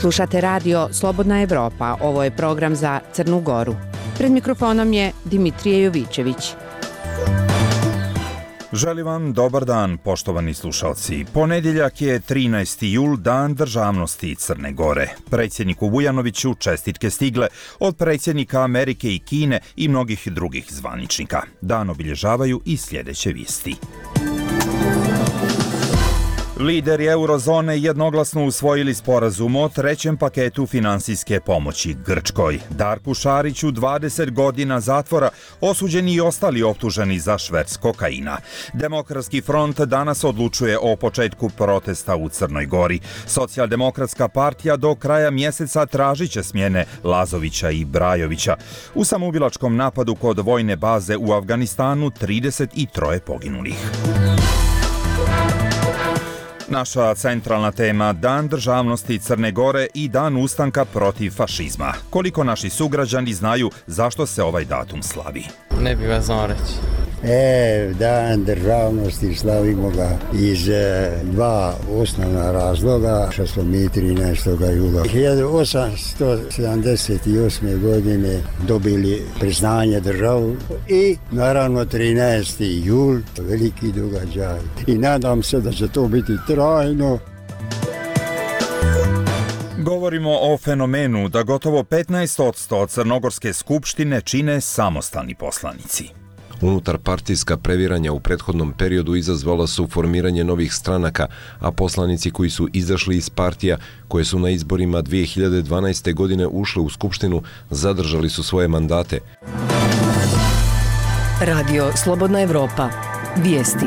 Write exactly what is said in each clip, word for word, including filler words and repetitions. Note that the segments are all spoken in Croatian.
Slušate radio Slobodna Evropa, ovo je program za Crnu Goru. Pred mikrofonom je Dimitrije Jovićević. Želim vam dobar dan, poštovani slušalci. Ponedjeljak je trinaesti jul, dan državnosti Crne Gore. Predsjedniku Vujanoviću čestitke stigle od predsjednika Amerike i Kine i mnogih drugih zvaničnika. Dan obilježavaju i sljedeće vijesti. Lideri eurozone jednoglasno usvojili sporazum o trećem paketu finansijske pomoći Grčkoj. Darku Šariću dvadeset godina zatvora, osuđeni i ostali optuženi za šverc kokaina. Demokratski front danas odlučuje o početku protesta u Crnoj Gori. Socijaldemokratska partija do kraja mjeseca tražit će smjene Lazovića i Brajovića. U samoubilačkom napadu kod vojne baze u Afganistanu trideset tri poginulih. Naša centralna tema, Dan državnosti Crne Gore i Dan ustanka protiv fašizma. Koliko naši sugrađani znaju zašto se ovaj datum slavi? Ne bih vas znao reći. E, Dan državnosti slavimo ga iz e, dva osnovna razloga, što smo mi trinaestog jula hiljadu osamsto sedamdeset osme. godine dobili priznanje državu i naravno trinaesti jul, veliki događaj. I nadam se da će to biti trajno. Govorimo o fenomenu da gotovo petnaest posto Crnogorske skupštine čine samostalni poslanici. Unutarpartijska previranja u prethodnom periodu izazvala su formiranje novih stranaka, a poslanici koji su izašli iz partija, koje su na izborima dvije hiljade dvanaeste. godine ušle u skupštinu, zadržali su svoje mandate. Radio Slobodna Evropa. Vijesti.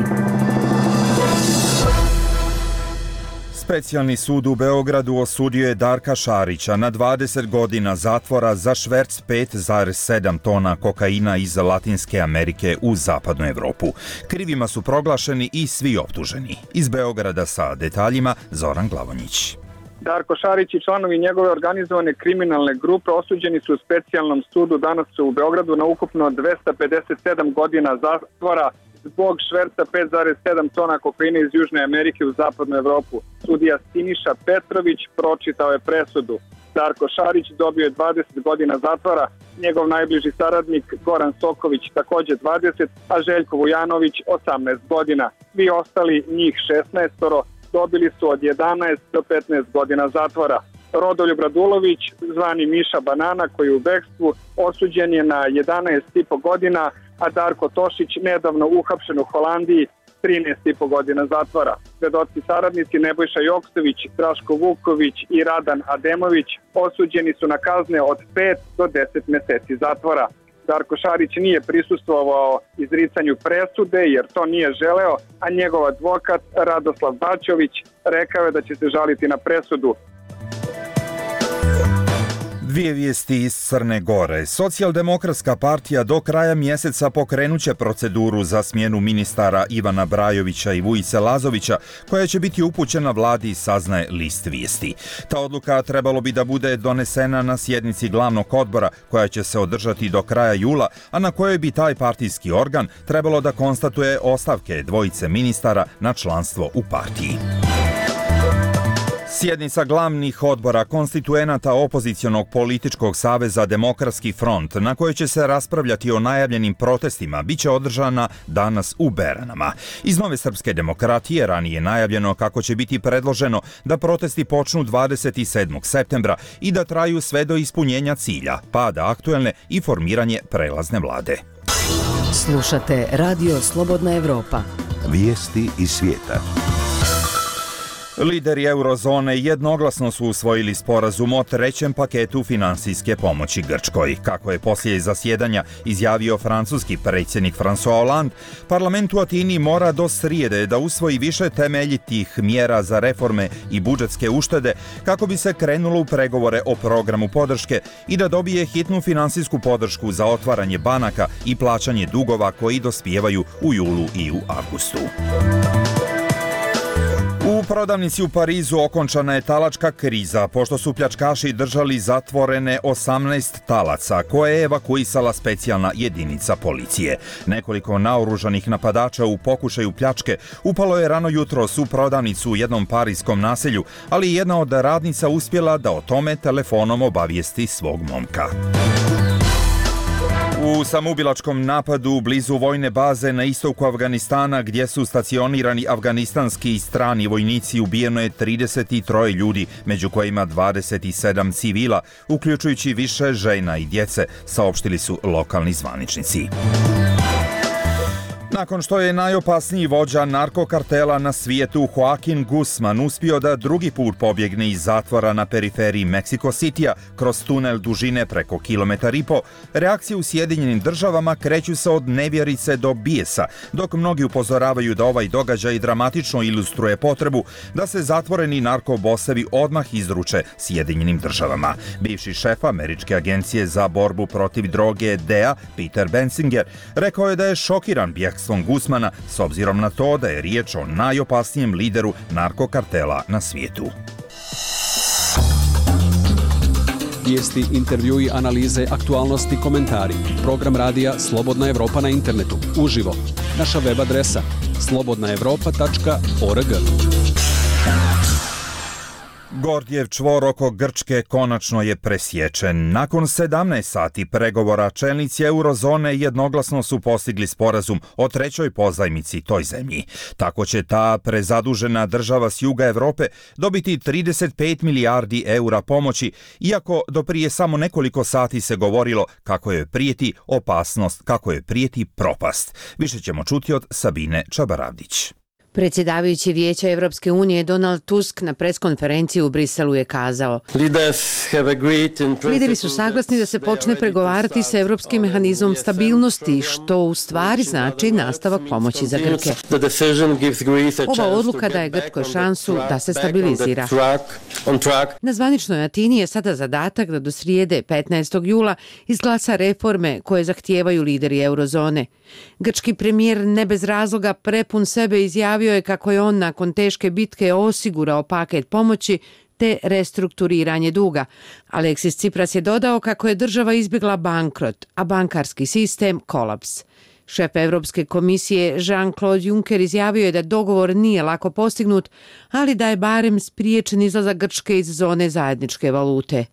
Specijalni sud u Beogradu osudio je Darka Šarića na dvadeset godina zatvora za šverc pet zarez sedam tona kokaina iz Latinske Amerike u zapadnu Evropu. Krivima su proglašeni i svi optuženi. Iz Beograda sa detaljima Zoran Glavonjić. Darko Šarić i članovi njegove organizovane kriminalne grupe osuđeni su u specijalnom sudu danas u Beogradu na ukupno dvesta pedeset sedam godina zatvora zbog šverca pet zarez sedam tona kokaina iz Južne Amerike u zapadnu Evropu. Sudija Siniša Petrović pročitao je presudu. Darko Šarić dobio je dvadeset godina zatvora, njegov najbliži saradnik Goran Soković također dvadeset, a Željko Vujanović osamnaest godina. Svi ostali, njih šesnaest, dobili su od jedanaest do petnaest godina zatvora. Rodoljub Radulović, zvani Miša Banana, koji je u bekstvu, osuđen je na jedanaest i po godina, a Darko Tošić, nedavno uhapšen u Holandiji, trinaest i po godina zatvora. Svedoci saradnici Nebojša Joksović, Draško Vuković i Radan Ademović osuđeni su na kazne od pet do deset mjeseci zatvora. Darko Šarić nije prisustvovao izricanju presude jer to nije želeo, a njegov advokat Radoslav Bačović rekao je da će se žaliti na presudu. Dvije vijesti iz Crne Gore. Socijaldemokratska partija do kraja mjeseca pokrenuće proceduru za smjenu ministara Ivana Brajovića i Vujice Lazovića, koja će biti upućena vladi, saznaje list vijesti. Ta odluka trebalo bi da bude donesena na sjednici glavnog odbora, koja će se održati do kraja jula, a na kojoj bi taj partijski organ trebalo da konstatuje ostavke dvojice ministara na članstvo u partiji. Sjednica glavnih odbora konstituenata opozicionog političkog saveza Demokratski front, na kojoj će se raspravljati o najavljenim protestima, bit će održana danas u Beranama. Iz Nove srpske demokratije ranije najavljeno kako će biti predloženo da protesti počnu dvadeset sedmog septembra i da traju sve do ispunjenja cilja, pada aktuelne i formiranje prelazne vlade. Slušate Radio Slobodna Evropa. Vijesti iz svijeta. Lideri eurozone jednoglasno su usvojili sporazum o trećem paketu finansijske pomoći Grčkoj. Kako je poslije zasjedanja izjavio francuski predsjednik François Hollande, parlament u Atini mora do srijede da usvoji više temeljitih mjera za reforme i budžetske uštede kako bi se krenulo u pregovore o programu podrške i da dobije hitnu finansijsku podršku za otvaranje banaka i plaćanje dugova koji dospijevaju u julu i u avgustu. U prodavnici u Parizu okončana je talačka kriza, pošto su pljačkaši držali zatvorene osamnaest talaca, koje je evakuisala specijalna jedinica policije. Nekoliko naoružanih napadača u pokušaju pljačke upalo je rano jutros u prodavnicu u jednom parijskom naselju, ali jedna od radnica uspjela da o tome telefonom obavijesti svog momka. U samoubilačkom napadu blizu vojne baze na istoku Afganistana, gdje su stacionirani afganistanski i strani vojnici, ubijeno je trideset tri ljudi, među kojima dvadeset sedam civila, uključujući više žena i djece, saopštili su lokalni zvaničnici. Nakon što je najopasniji vođa narkokartela na svijetu Joaquin Guzman uspio da drugi put pobjegne iz zatvora na periferiji Mexico Citya kroz tunel dužine preko kilometar i po, reakcije u Sjedinjenim državama kreću se od nevjerice do bijesa, dok mnogi upozoravaju da ovaj događaj dramatično ilustruje potrebu da se zatvoreni narkobosevi odmah izruče Sjedinjenim državama. Bivši šef Američke agencije za borbu protiv droge D E A, Peter Bensinger, rekao je da je šokiran bjegstvom Guzmana s obzirom na to da je riječ o najopasnijem lideru narkokartela na svijetu. Vijesti, intervjui, analize, aktualnosti, komentari. Program radija Slobodna Evropa na internetu. Uživo. Naša web adresa slobodna evropa tačka org. Gordjev čvor oko Grčke konačno je presječen. Nakon sedamnaest sati pregovora, čelnici eurozone jednoglasno su postigli sporazum o trećoj pozajmici toj zemlji. Tako će ta prezadužena država s juga Europe dobiti trideset pet milijardi eura pomoći, iako do prije samo nekoliko sati se govorilo kako je prijeti opasnost, kako je prijeti propast. Više ćemo čuti od Sabine Čabaravdić. Predsjedavajući Vijeća Evropske unije Donald Tusk na preskonferenciji u Briselu je kazao: Lideri su saglasni da se počne pregovarati sa Evropskim mehanizmom stabilnosti, što u stvari znači nastavak pomoći za Grke. Ova odluka daje Grčkoj šansu da se stabilizira. Na zvaničnoj Atini je sada zadatak da do srijede petnaestog jula izglasa reforme koje zahtijevaju lideri eurozone. Grčki premijer ne bez razloga prepun sebe izjavio je kako je on nakon teške bitke osigurao paket pomoći te restrukturiranje duga. Aleksis Tsipras je dodao kako je država izbjegla bankrot, a bankarski sistem kolaps. Šef Evropske komisije Jean-Claude Juncker izjavio je da dogovor nije lako postignut, ali da je barem spriječen izlazak Grčke iz zone zajedničke valute.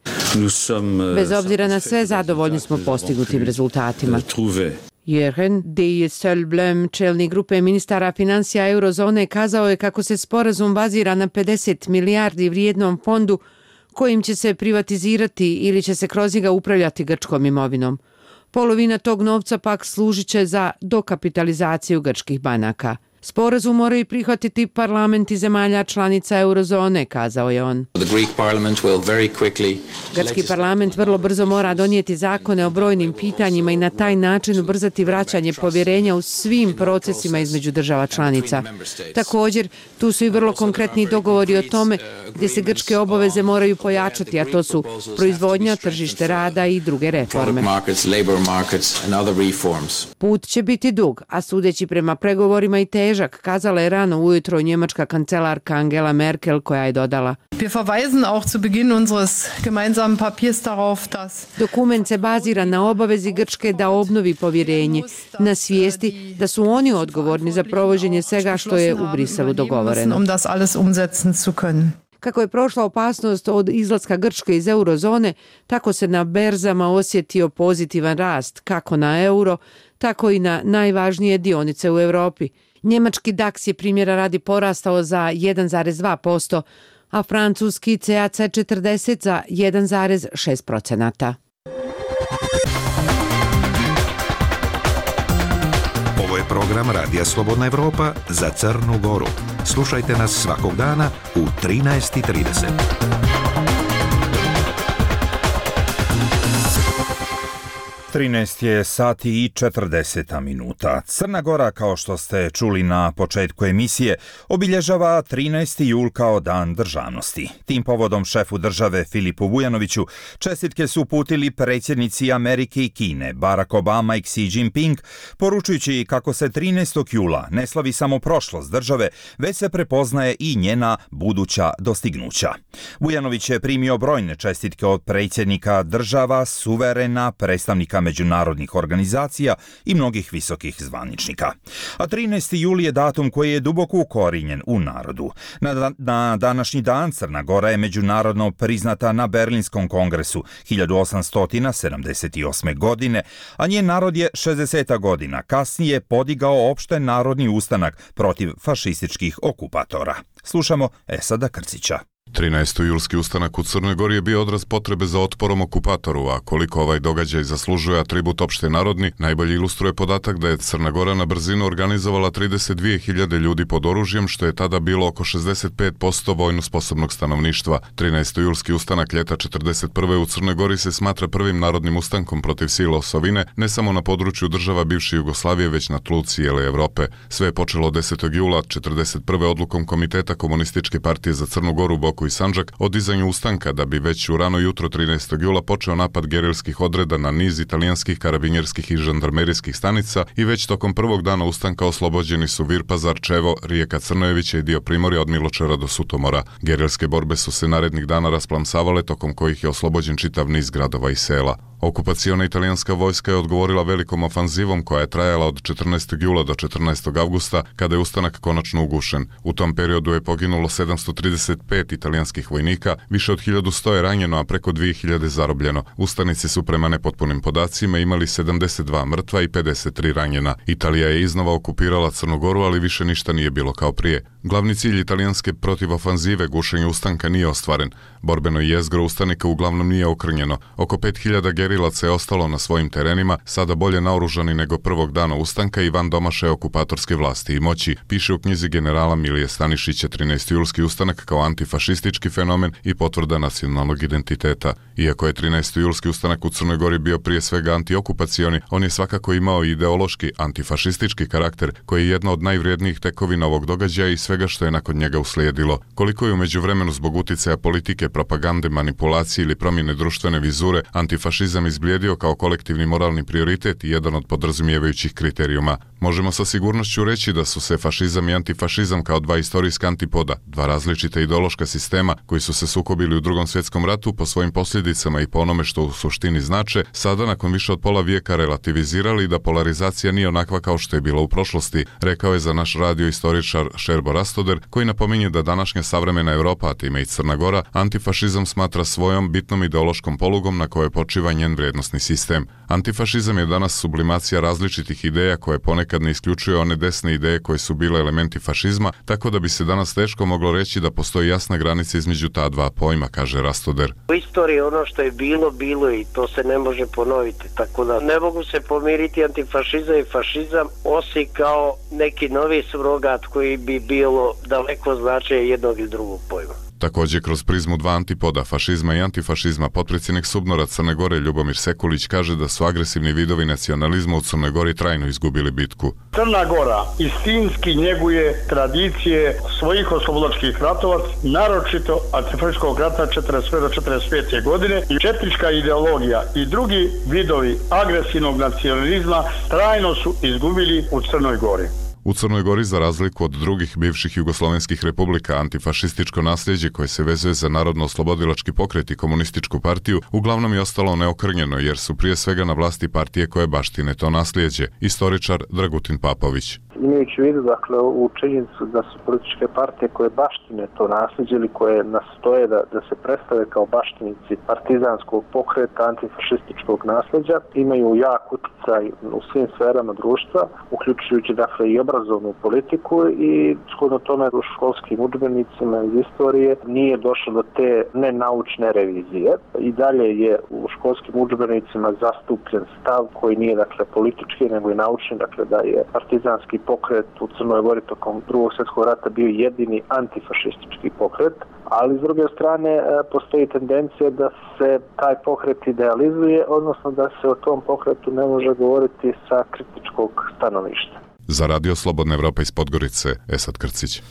Bez obzira na sve, zadovoljni smo postignutim rezultatima. Jürgen Dijsselbloem, čelnik grupe ministara financija eurozone, kazao je kako se sporazum bazira na pedeset milijardi vrijednom fondu kojim će se privatizirati ili će se kroz njega upravljati grčkom imovinom. Polovina tog novca pak služit će za dokapitalizaciju grčkih banaka. Sporazum moraju prihvatiti parlamenti zemalja članica eurozone, kazao je on. Grčki parlament vrlo brzo mora donijeti zakone o brojnim pitanjima i na taj način ubrzati vraćanje povjerenja u svim procesima između država članica. Također, tu su i vrlo konkretni dogovori o tome gdje se grčke obaveze moraju pojačati, a to su proizvodnja, tržište rada i druge reforme. Put će biti dug, a sudeći prema pregovorima i težak, kazala je rano ujutro njemačka kancelarka Angela Merkel, koja je dodala: Dokument se bazira na obavezi Grčke da obnovi povjerenje, na svijesti da su oni odgovorni za provođenje svega što je u Briselu dogovoreno. Kako je prošla opasnost od izlaska Grčke iz eurozone, tako se na berzama osjetio pozitivan rast, kako na euro, tako i na najvažnije dionice u Europi. Njemački DAX je primjera radi porastao za jedan zarez dva posto, a francuski C A C četrdeset za jedan zarez šest posto. Ovo je program Radija Slobodna Evropa za Crnu Goru. Slušajte nas svakog dana u trinaest i trideset. trinaest je sati i četrdeset minuta. Crna Gora, kao što ste čuli na početku emisije, obilježava trinaesti jul kao Dan državnosti. Tim povodom šefu države Filipu Vujanoviću čestitke su uputili predsjednici Amerike i Kine, Barack Obama i Xi Jinping, poručujući kako se trinaestog jula ne slavi samo prošlost države, već se prepoznaje i njena buduća dostignuća. Vujanović je primio brojne čestitke od predsjednika država, suverena, predstavnika međunarodnih organizacija i mnogih visokih zvaničnika. A trinaesti jul je datum koji je duboko ukorijenjen u narodu. Na, na današnji dan Crna Gora je međunarodno priznata na Berlinskom kongresu hiljadu osamsto sedamdeset osme. godine, a njen narod je šezdeset godina kasnije podigao opšte narodni ustanak protiv fašističkih okupatora. Slušamo Esada Krcića. trinaestojulski ustanak u Crnoj Gori je bio odraz potrebe za otporom okupatoru, a koliko ovaj događaj zaslužuje atribut opšte narodni, najbolje ilustruje podatak da je Crna Gora na brzinu organizovala trideset dvije hiljade ljudi pod oružjem, što je tada bilo oko šezdeset pet posto vojno sposobnog stanovništva. trinaestojulski ustanak ljeta četrdeset prve. u Crnoj Gori se smatra prvim narodnim ustankom protiv sila osovine, ne samo na području država bivše Jugoslavije, već na tlu cijele Evrope. Sve je počelo desetog jula četrdeset prve. odlukom Komiteta Komunističke partije za Crnu Goru, Boku i Sandžak o dizanju ustanka, da bi već u rano jutro trinaestog jula počeo napad gerilskih odreda na niz italijanskih karabinjerskih i žandarmerijskih stanica i već tokom prvog dana ustanka oslobođeni su Virpazar, Čevo, rijeka Crnojevića i dio Primorja od Miločara do Sutomora. Gerilske borbe su se narednih dana rasplamsavale, tokom kojih je oslobođen čitav niz gradova i sela. Okupaciona italijanska vojska je odgovorila velikom ofanzivom koja je trajala od četrnaestog jula do četrnaestog avgusta, kada je ustanak konačno ugušen. U tom periodu je poginulo sedamsto trideset pet italijanskih vojnika, više od hiljadu sto je ranjeno, a preko dvije hiljade zarobljeno. Ustanici su prema nepotpunim podacima imali sedamdeset dva mrtva i pedeset tri ranjena. Italija je iznova okupirala Crnu Goru, ali više ništa nije bilo kao prije. Glavni cilj italijanske protivofanzive, gušenje ustanka, nije ostvaren. Borbeno jezgro ustanika uglavnom nije okrnjeno. Oko pet hiljada gerilaca je ostalo na svojim terenima, sada bolje naoružani nego prvog dana ustanka i van domašaja okupatorske vlasti i moći, piše u knjizi generala Milije Stanišića trinaestojulski ustanak kao antifašistički fenomen i potvrda nacionalnog identiteta. Iako je trinaestojulski ustanak u Crnoj Gori bio prije svega antiokupacioni, on je svakako imao i ideološki antifašistički karakter, koji je jedna od najvrijednijih tekovina ovog događaja i svega što je nakon njega uslijedilo. Koliko je u međuvremenu zbog uticaja politike, propagande, manipulacije ili promjene društvene vizure antifašizam izblijedio kao kolektivni moralni prioritet i jedan od podrazumijevajućih kriterijuma. Možemo sa sigurnošću reći da su se fašizam i antifašizam kao dva istorijska antipoda, dva različita ideološka sistema koji su se sukobili u Drugom svjetskom ratu po svojim posljedicama i po onome što u suštini znače, sada nakon više od pola vijeka relativizirali da polarizacija nije onakva kao što je bila u prošlosti, rekao je za naš radio istoričar Šerbo Rastoder, koji napominje da današnja savremena Evropa, a time i Crna Gora, antifašizam smatra svojom bitnom ideološkom polugom na kojoj počiva njen vrijednosni sistem. Antifašizam je danas sublimacija različitih ideja koje ponekad ne isključuje one desne ideje koje su bile elementi fašizma, tako da bi se danas teško moglo reći da postoji jasna granica između ta dva pojma, kaže Rastoder. U istoriji ono što je bilo, bilo i to se ne može ponoviti, tako da ne mogu se pomiriti antifašizam i fašizam osim kao neki novi surogat koji bi bilo daleko značaje jednog ili drugog pojma. Također kroz prizmu dva antipoda, fašizma i antifašizma, potpredsjednik SUBNOR-a Crne Gore Ljubomir Sekulić kaže da su agresivni vidovi nacionalizma u Crnoj Gori trajno izgubili bitku. Crna Gora istinski njeguje tradicije svojih oslobodilačkih ratova, naročito antifašističkog rata četrdeset prve do četrdeset pete. godine i četnička ideologija i drugi vidovi agresivnog nacionalizma trajno su izgubili u Crnoj Gori. U Crnoj Gori, za razliku od drugih bivših jugoslovenskih republika, antifašističko nasljeđe koje se vezuje za narodno-oslobodilački pokret i komunističku partiju uglavnom je ostalo neokrnjeno, jer su prije svega na vlasti partije koje baštine to nasljeđe. Istoričar Dragutin Papović. Imajući u vidu, dakle, u činjenicu da su političke partije koje baštine to nasljeđe ili koje nastoje da, da se predstave kao baštinici partizanskog pokreta, antifašističkog nasljeđa, imaju jak utjecaj u svim sferama društva, uključujući dakle i obrazovnu politiku i shodno tome u školskim udžbenicima iz istorije nije došlo do te nenaučne revizije. I dalje je u školskim udžbenicima zastupljen stav koji nije dakle politički nego i naučni, dakle da je partizanski pokret u Crnoj Gori tokom Drugog svjetskog rata bio jedini antifašistički pokret, ali s druge strane postoji tendencija da se taj pokret idealizuje, odnosno da se o tom pokretu ne može govoriti sa kritičkog stanovišta. Za Radio Slobodna Evropa iz Podgorice, Esad Krcić.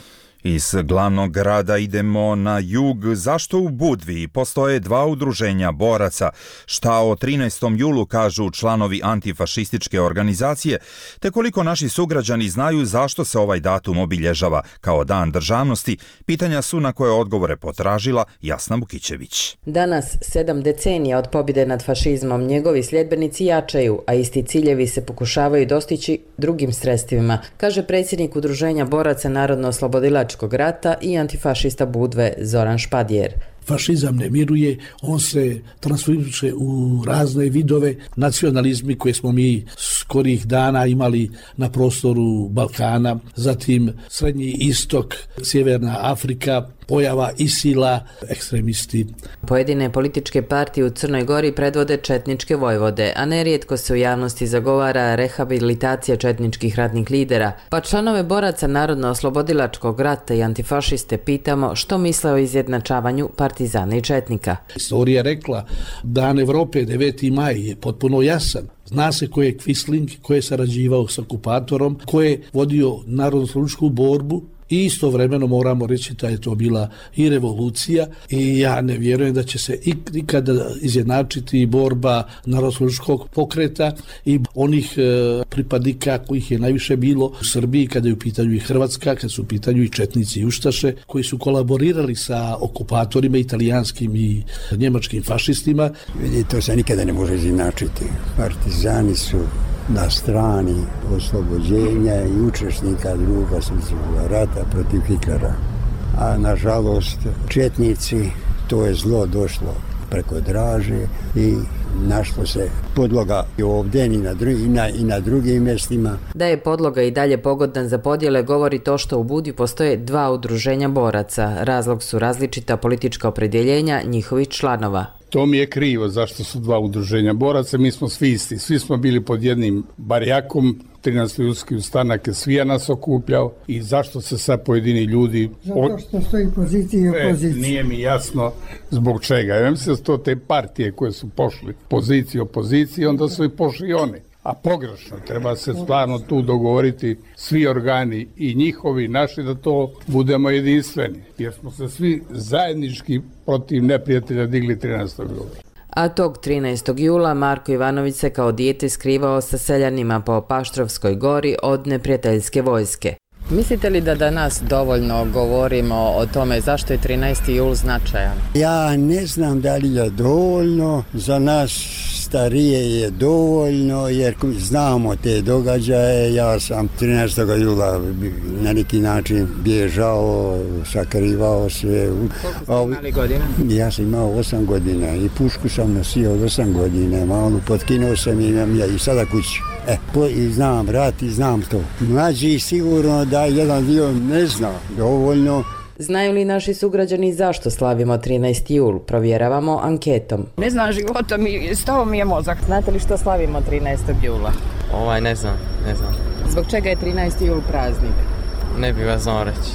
Iz glavnog grada idemo na jug. Zašto u Budvi postoje dva udruženja boraca? Šta o trinaestom julu kažu članovi antifašističke organizacije? Te koliko naši sugrađani znaju zašto se ovaj datum obilježava kao Dan državnosti? Pitanja su na koje odgovore potražila Jasna Bukićević. Danas, sedam decenija od pobjede nad fašizmom, njegovi sljedbenici jačaju, a isti ciljevi se pokušavaju dostići drugim sredstvima, kaže predsjednik Udruženja boraca Narodno-oslobodilačkog rata i antifašista Budve Zoran Špadjer. Fašizam ne miruje, on se transformiše u razne vidove nacionalizmi koje smo mi skorih dana imali na prostoru Balkana, zatim Srednji istok, Sjeverna Afrika, pojava Isila, ekstremisti. Pojedine političke partije u Crnoj Gori predvode četničke vojvode, a nerijetko se u javnosti zagovara rehabilitacija četničkih ratnih lidera, pa članove boraca Narodno-oslobodilačkog rata i antifašiste pitamo što misle o izjednačavanju partizana i četnika. Istorija je rekla, Dan Evrope, deveti maj, je potpuno jasan. Zna se ko je Quisling, ko je sarađivao s okupatorom, ko je vodio narodno-oslobodilačku borbu, i istovremeno moramo reći da je to bila i revolucija i ja ne vjerujem da će se ikada izjednačiti borba narodno-oslobodilačkog pokreta i onih e, pripadnika kojih je najviše bilo u Srbiji kada je u pitanju i Hrvatska, kada su u pitanju i četnici i ustaše koji su kolaborirali sa okupatorima italijanskim i njemačkim fašistima. Vidi, to se nikada ne može izjednačiti. Partizani su na strani oslobođenja i učesnika Drugog svjetskog rata protiv Hitlera. A nažalost četnici, to je zlo došlo preko Draže i našlo se podloga i ovdje i na, drugi, i, na, i na drugim mjestima. Da je podloga i dalje pogodan za podjele govori to što u Budvi postoje dva udruženja boraca. Razlog su različita politička opredjeljenja njihovih članova. To mi je krivo zašto su dva udruženja boraca, mi smo svi isti, svi smo bili pod jednim barjakom, trinaesti julski ustanak je svija nas okupljao i zašto se sad pojedini ljudi... Zato što stoji pozicija i opozicija. E, nije mi jasno zbog čega. Ja mislim da su to te partije koje su pošli poziciju opoziciji, onda su i pošli oni. A pogrešno, treba se stvarno tu dogovoriti svi organi i njihovi, naši, da to budemo jedinstveni. Jer smo se svi zajednički protiv neprijatelja digli trinaestog jula. A tog trinaestog jula Marko Ivanović se kao dijete skrivao sa seljanima po Paštrovskoj gori od neprijateljske vojske. Mislite li da danas dovoljno govorimo o tome zašto je trinaesti jul značajan? Ja ne znam da li je dovoljno, za nas starije je dovoljno jer znamo te događaje. Ja sam trinaestog jula na neki način bježao, sakrivao se. Koliko ste imali godina? Ja sam imao osam godina i pušku sam nosio od osam godina, malo potkinuo sam i imam ja i sada kući. E, po, i znam rat i znam to. Mlađi sigurno da jedan dio ne zna dovoljno. Znaju li naši sugrađani zašto slavimo trinaesti jul? Provjeravamo anketom. Ne znam života, mi, stao mi je mozak. Znate li što slavimo trinaestog jula? Ovaj, ne znam, ne znam. Zbog čega je trinaesti jul praznik? Ne bih vas znao reći.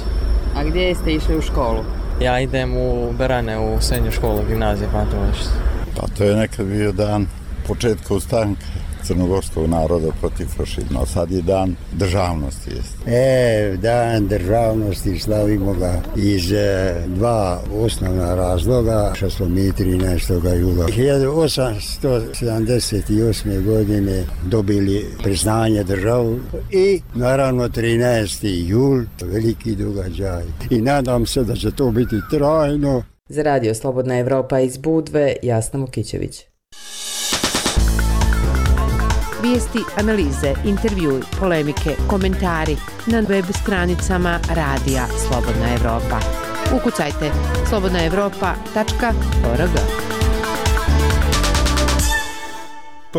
A gdje ste išli u školu? Ja idem u Berane, u srednju školu, gimnazije, Pantovišta. Pa to je nekad bio dan početka ustanka crnogorskog naroda protiv fašizma, a sad je dan državnosti. Jest. E, dan državnosti slavimo ga iz e, dva osnovna razloga, što smo mi trinaestog jula hiljadu osamsto sedamdeset osme. godine dobili priznanje državu i naravno trinaesti jul, veliki događaj. I nadam se da će to biti trajno. Za Radio Slobodna Evropa iz Budve, Jasna Mukićević. Vijesti, analize, intervjui, polemike, komentari na web stranicama Radija Slobodna Evropa. Ukucajte slobodna evropa tačka org.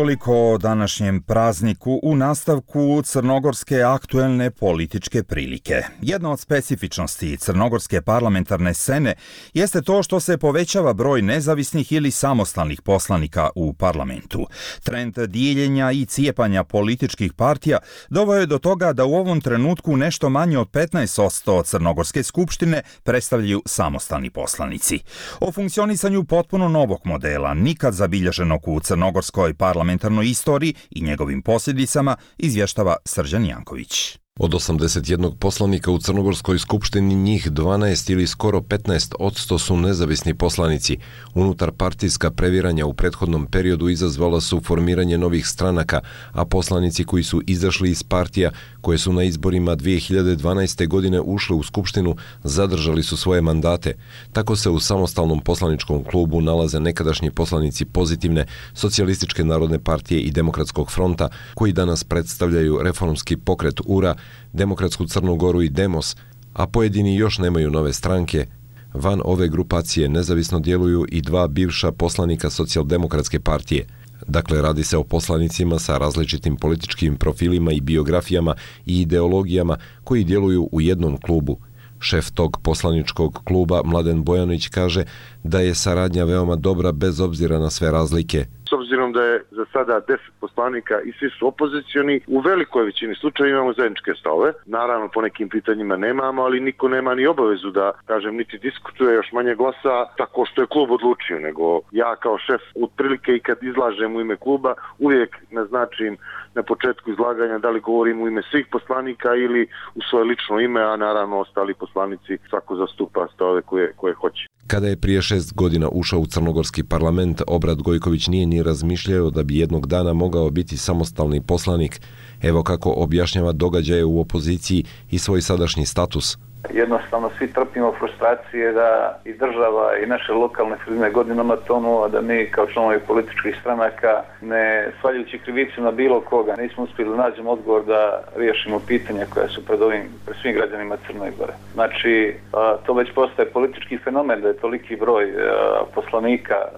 Toliko o današnjem prazniku u nastavku crnogorske aktuelne političke prilike. Jedna od specifičnosti crnogorske parlamentarne scene jeste to što se povećava broj nezavisnih ili samostalnih poslanika u parlamentu. Trend dijeljenja i cijepanja političkih partija doveo je do toga da u ovom trenutku nešto manje od petnaest posto crnogorske skupštine predstavljaju samostalni poslanici. O funkcionisanju potpuno novog modela, nikad zabilježenog u crnogorskoj parlamentarnoj istoriji i njegovim posljedicama, izvještava Srđan Janković. Od osamdeset jednog poslanika u Crnogorskoj skupštini njih dvanaest ili skoro petnaest posto su nezavisni poslanici. Unutar partijska previranja u prethodnom periodu izazvala su formiranje novih stranaka, a poslanici koji su izašli iz partija koje su na izborima dvije hiljade dvanaeste. godine ušle u skupštinu zadržali su svoje mandate. Tako se u samostalnom poslaničkom klubu nalaze nekadašnji poslanici Pozitivne, Socijalističke narodne partije i Demokratskog fronta, koji danas predstavljaju reformski pokret U R A, Demokratsku Crnu Goru i Demos, a pojedini još nemaju nove stranke. Van ove grupacije nezavisno djeluju i dva bivša poslanika Socijaldemokratske partije. Dakle, radi se o poslanicima sa različitim političkim profilima i biografijama i ideologijama koji djeluju u jednom klubu. Šef tog poslaničkog kluba, Mladen Bojanić, kaže da je saradnja veoma dobra bez obzira na sve razlike. S obzirom da je za sada deset poslanika i svi su opozicioni, u velikoj većini slučajeva imamo zajedničke stavove. Naravno, po nekim pitanjima nemamo, ali niko nema ni obavezu da, kažem, niti diskutuje, još manje glasa tako što je klub odlučio, nego ja kao šef otprilike i kad izlažem u ime kluba uvijek naznačim na početku izlaganja da li govorim u ime svih poslanika ili u svoje lično ime, a naravno ostali poslanici svako zastupa stavove koje, koje hoće. Kada je prije šest godina ušao u crnogorski parlament, Obrad Gojković nije ni razmišljao da bi jednog dana mogao biti samostalni poslanik. Evo kako objašnjava događaje u opoziciji i svoj sadašnji status. Jednostavno svi trpimo frustracije da i država i naše lokalne sredine godinama tonu, a da mi kao članovi političkih stranaka, ne svaljujući krivicu na bilo koga, nismo uspjeli nađemo odgovor da riješimo pitanja koja su pred ovim, pred svim građanima Crne Gore. Znači, a, to već postaje politički fenomen da je toliki broj a, poslanika a,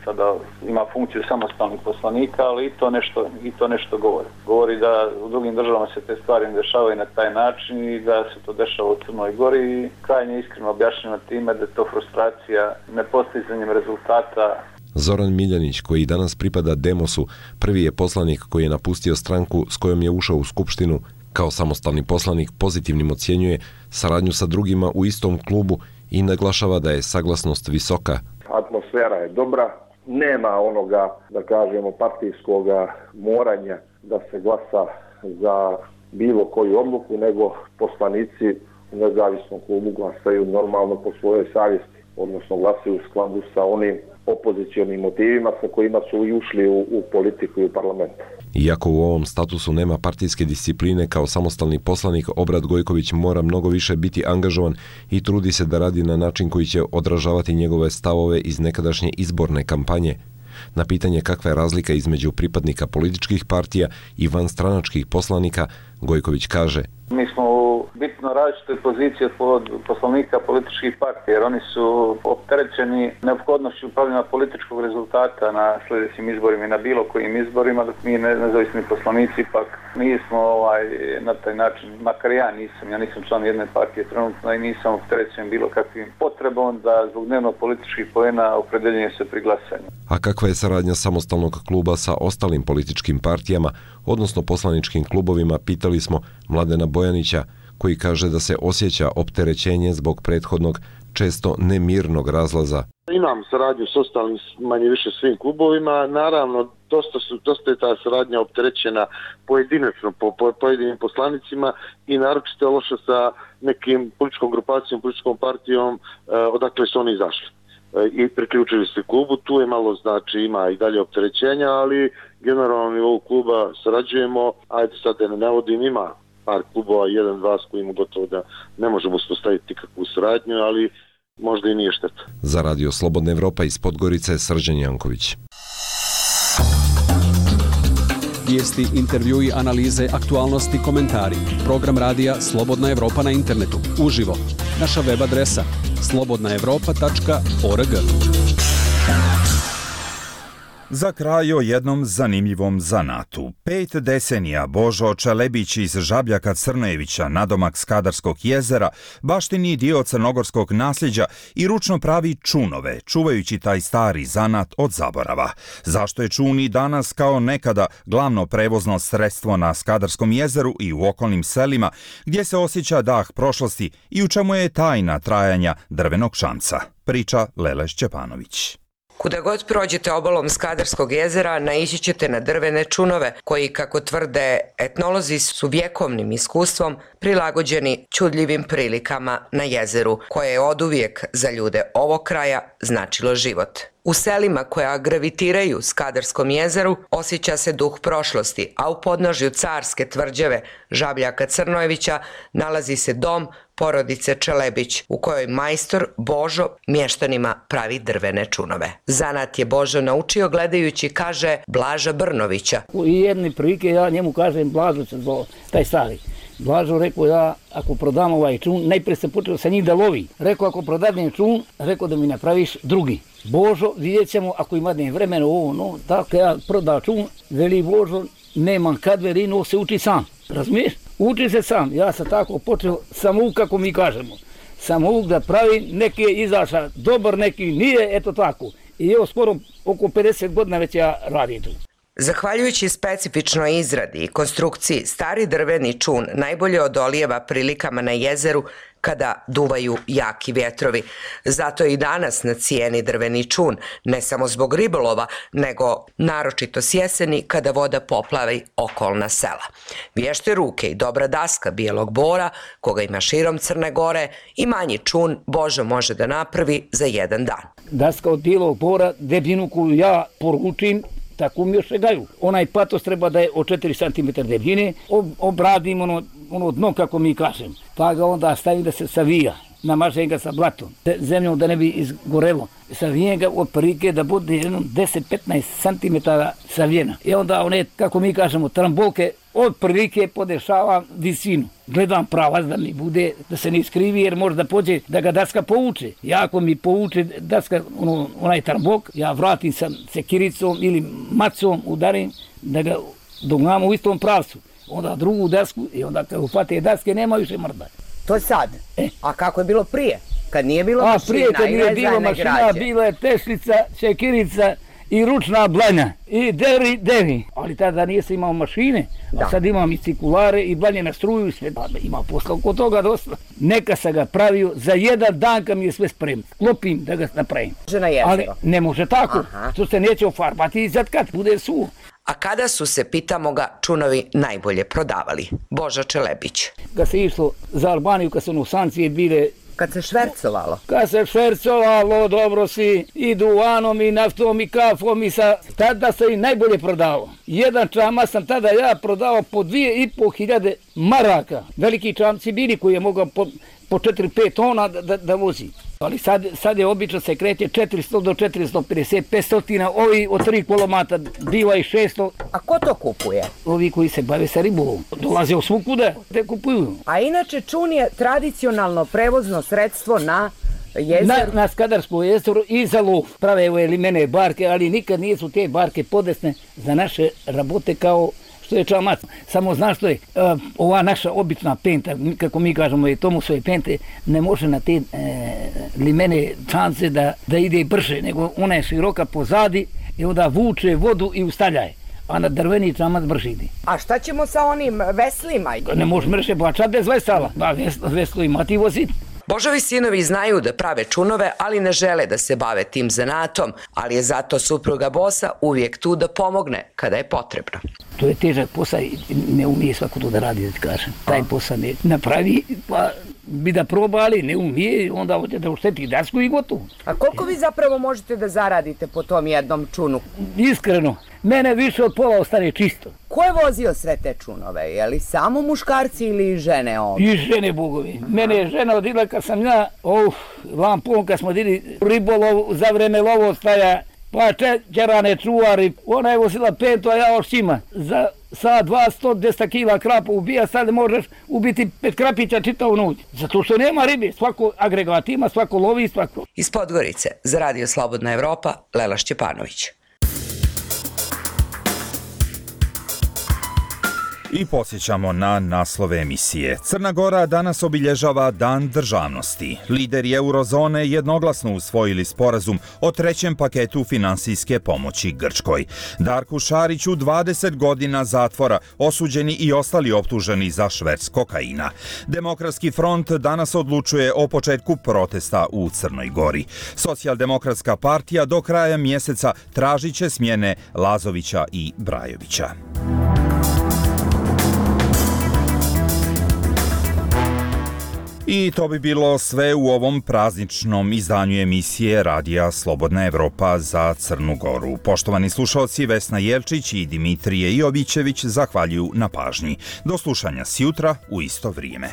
sada ima funkciju samostalnih poslanika, ali i to nešto, i to nešto govori. Govori da u drugim državama se te stvari ne dešavaju na taj način i da se to dešava u Crnoj Gori i krajnje iskreno objašnjeno time da je to frustracija nepostizanjem rezultata. Zoran Miljanić, koji danas pripada Demosu, prvi je poslanik koji je napustio stranku s kojom je ušao u skupštinu. Kao samostalni poslanik Pozitivnim ocjenjuje saradnju sa drugima u istom klubu i naglašava da je saglasnost visoka. Atmosfera je dobra, nema onoga, da kažemo, partijskog moranja da se glasa za bilo koju odluku, nego poslanici u nezavisnom klubu glasaju normalno po svojoj savjesti, odnosno glasaju u skladu sa onim opozicijonim motivima sa kojima su i ušli u, u politiku i u parlament. Iako u ovom statusu nema partijske discipline, kao samostalni poslanik Obrad Gojković mora mnogo više biti angažovan i trudi se da radi na način koji će odražavati njegove stavove iz nekadašnje izborne kampanje. Na pitanje kakva je razlika između pripadnika političkih partija i vanstranačkih poslanika, Gojković kaže: Mi smo u bitno različitoj poziciji od poslanika političkih partija, jer oni su opterećeni neophodnošću upravljanja političkog rezultata na sljedećim izborima i na bilo kojim izborima, dok mi nezavisni poslanici pak nismo ovaj, na taj način, makar ja nisam, ja nisam član jedne partije trenutno i nisam opterećen bilo kakvim potrebom da zbog dnevno političkih poena opredeljenje se pri glasanju. A kakva je saradnja samostalnog kluba sa ostalim političkim partijama, odnosno poslaničkim klubovima, pitali smo Mladena Bojanića, koji kaže da se osjeća opterećenje zbog prethodnog, često nemirnog razlaza. Imam saradnju s ostalim manje više svim klubovima, naravno dosta, su, dosta je ta saradnja opterećena pojedinačno po, po pojedinim poslanicima i naročito je loše sa nekim političkom grupacijom, političkom partijom eh, odakle su oni izašli i priključili se klubu. Tu je malo, znači, ima i dalje opterećenja, ali generalno nivou kluba sarađujemo, ajde sad da ne navodim, ima par klubova, jedan, dva s kojima gotovo da ne možemo uspostaviti kakvu saradnju, ali možda i nije šteta. Za Radio Slobodna Evropa iz Podgorice, Srđan Janković. Vijesti, intervjui, analize, aktualnosti, komentari. Program radija Slobodna Evropa na internetu. Uživo. Naša web adresa slobodna evropa tačka org. Za kraj o jednom zanimljivom zanatu. Pet decenija Božo Čelebić iz Žabljaka Crnojevića, nadomak Skadarskog jezera, baštini dio crnogorskog nasljeđa i ručno pravi čunove, čuvajući taj stari zanat od zaborava. Zašto je čun i danas kao nekada glavno prevozno sredstvo na Skadarskom jezeru i u okolnim selima, gdje se osjeća dah prošlosti i u čemu je tajna trajanja drvenog šamca? Priča Lele Šćepanović. Kuda god prođete obalom Skadarskog jezera, naići ćete na drvene čunove, koji, kako tvrde etnolozi, su vjekovnim iskustvom prilagođeni čudljivim prilikama na jezeru, koje je oduvijek za ljude ovog kraja značilo život. U selima koja gravitiraju Skadarskom jezeru osjeća se duh prošlosti, a u podnožju carske tvrđave Žabljaka Crnojevića nalazi se dom porodice Čelebić, u kojoj majstor Božo mještanima pravi drvene čunove. Zanat je Božo naučio gledajući, kaže, Blaža Brnovića. U jedne prilike ja njemu kažem, Blažo se zvao, taj stari. Blažo rekao, ja ako prodam ovaj čun, najprije se počeo sa njih da lovi. Rekao, ako prodadnem čun, rekao da mi napraviš drugi. Božo, vidjet ćemo ako ima dne vremena ovo, no, tako ja prodao čun, veli Božo, nemam kad verino, se uči sam. Razumiješ? Uči se sam. Ja sam tako počeo samouk, kako mi kažemo. Samouk da pravi, neki je izašao dobar, neki nije, eto tako. I evo skoro oko pedeset godina već ja radim tu. Zahvaljujući specifičnoj izradi i konstrukciji, stari drveni čun najbolje odolijeva prilikama na jezeru kada duvaju jaki vjetrovi. Zato je i danas na cijeni drveni čun, ne samo zbog ribolova, nego naročito s jeseni kada voda poplavi okolna sela. Vješte ruke i dobra daska bijelog bora, koga ima širom Crne Gore, i manji čun Božo može da napravi za jedan dan. Daska od bijelog bora, debljinu koju ja poručim, tako mi još gaju. Onaj patos treba da je od četiri centimetra debljine, obradim ono, ono dno, kako mi kažem. Pa ga onda stavim da se savija, namažem ga sa blatom, zemljom da ne bi izgorelo. Savijem ga od prilike da bude jedno deset do petnaest centimetara savijena. I onda one, kako mi kažemo, trambolke od prilike podešavam visinu. Gledam pravac da mi bude, da se ne iskrivi, jer možda pođe da ga daska povuče. Ja ako mi povuče daska, ono, onaj trambok, ja vratim sa sekiricom ili macom, udarim, da ga dognamo u istom pravcu. Onda drugu dasku i onda kad ufate daske nema više mrda. To je sad. E. A kako je bilo prije? Kad nije bilo A, mašina prije, kad nije bilo mašina, građe. Bila je tešlica, sekirica i ručna blanja. I deri, deri. Ali tada nije se imao mašine, da. A sad imam i cikulare i blanje na struju i sve. Ima posla oko toga dosta. Neka sam ga pravio za jedan dan kad mi je sve spremno. Klopim da ga napravim. Ali ne može tako. Aha. To se neće ofarbati i sad kad bude suvo. A kada su se, pitamo ga, čunovi najbolje prodavali? Božo Čelebić. Kad se išlo za Albaniju, kad su ono sankcije bile... Kad se švercovalo? Kad se švercovalo, dobro si, i duvanom, i naftom, i kafom, i sa... Tada se i najbolje prodavao. Jedan čama sam tada ja prodao po dvije i po hiljade maraka. Veliki čamci bili koji je mogao po, po četiri pet tona da, da, da vozi. Ali sad, sad je obično se kreće četiristo do četiristo pedeset, petsto, ovi od tri kolomata biva i šesto. A ko to kupuje? Ovi koji se bave sa ribolovom. Dolaze u svukuda, te kupuju. A inače čun je tradicionalno prevozno sredstvo na jezeru? Na, na Skadarsko jezero i za lov. Prave evo limene barke, ali nikad nisu te barke podesne za naše rabote kao što je čamac. Samo znaš što je, uh, ova naša obična penta, kako mi kažemo je Tomusove pente, ne može na te e, limene čance da, da ide brže, nego ona je široka pozadi i onda vuče vodu i ustavljaje. A na drveni čamac brže ide. A šta ćemo sa onim veslima? Ne može mrše bačati bez vesala. Da, veslo, veslo ima ti voziti. Božovi sinovi znaju da prave čunove, ali ne žele da se bave tim zanatom, ali je zato supruga Bosa uvijek tu da pomogne kada je potrebno. To je težak posao i ne umije svako to da radi, da ti kažem. Taj posao ne napravi, pa bi da proba, ali ne umije, onda hoće da ušteti dasku i gotovo. A koliko vi zapravo možete da zaradite po tom jednom čunu? Iskreno, mene više od pola ostane čisto. Ko je vozio sve te čunove? Je li samo muškarci ili žene ovdje? I žene, bogovi. Mene je žena odila kad sam ja, uf, lampom kad smo dili ribolov za vreme lovostaja, pa čećerane čuvari, ona je vozila peto, a ja ošćima. Za sa dvasto do dvjesto kila krapa ubija, sad možeš ubiti pet krapića čitavu noć. Zato što nema ribe, svako agregat ima, svako lovi, svako. Iz Podgorice, za Radio Slobodna Evropa, Lela Šćepanović. I podsjećamo na naslove emisije. Crna Gora danas obilježava Dan državnosti. Lideri eurozone jednoglasno usvojili sporazum o trećem paketu finansijske pomoći Grčkoj. Darku Šariću dvadeset godina zatvora, osuđeni i ostali optuženi za šverc kokaina. Demokratski front danas odlučuje o početku protesta u Crnoj Gori. Socijaldemokratska partija do kraja mjeseca tražit će smjene Lazovića i Brajovića. I to bi bilo sve u ovom prazničnom izdanju emisije Radija Slobodna Evropa za Crnu Goru. Poštovani slušalci, Vesna Jelčić i Dimitrije Jovićević zahvaljuju na pažnji. Do slušanja sjutra u isto vrijeme.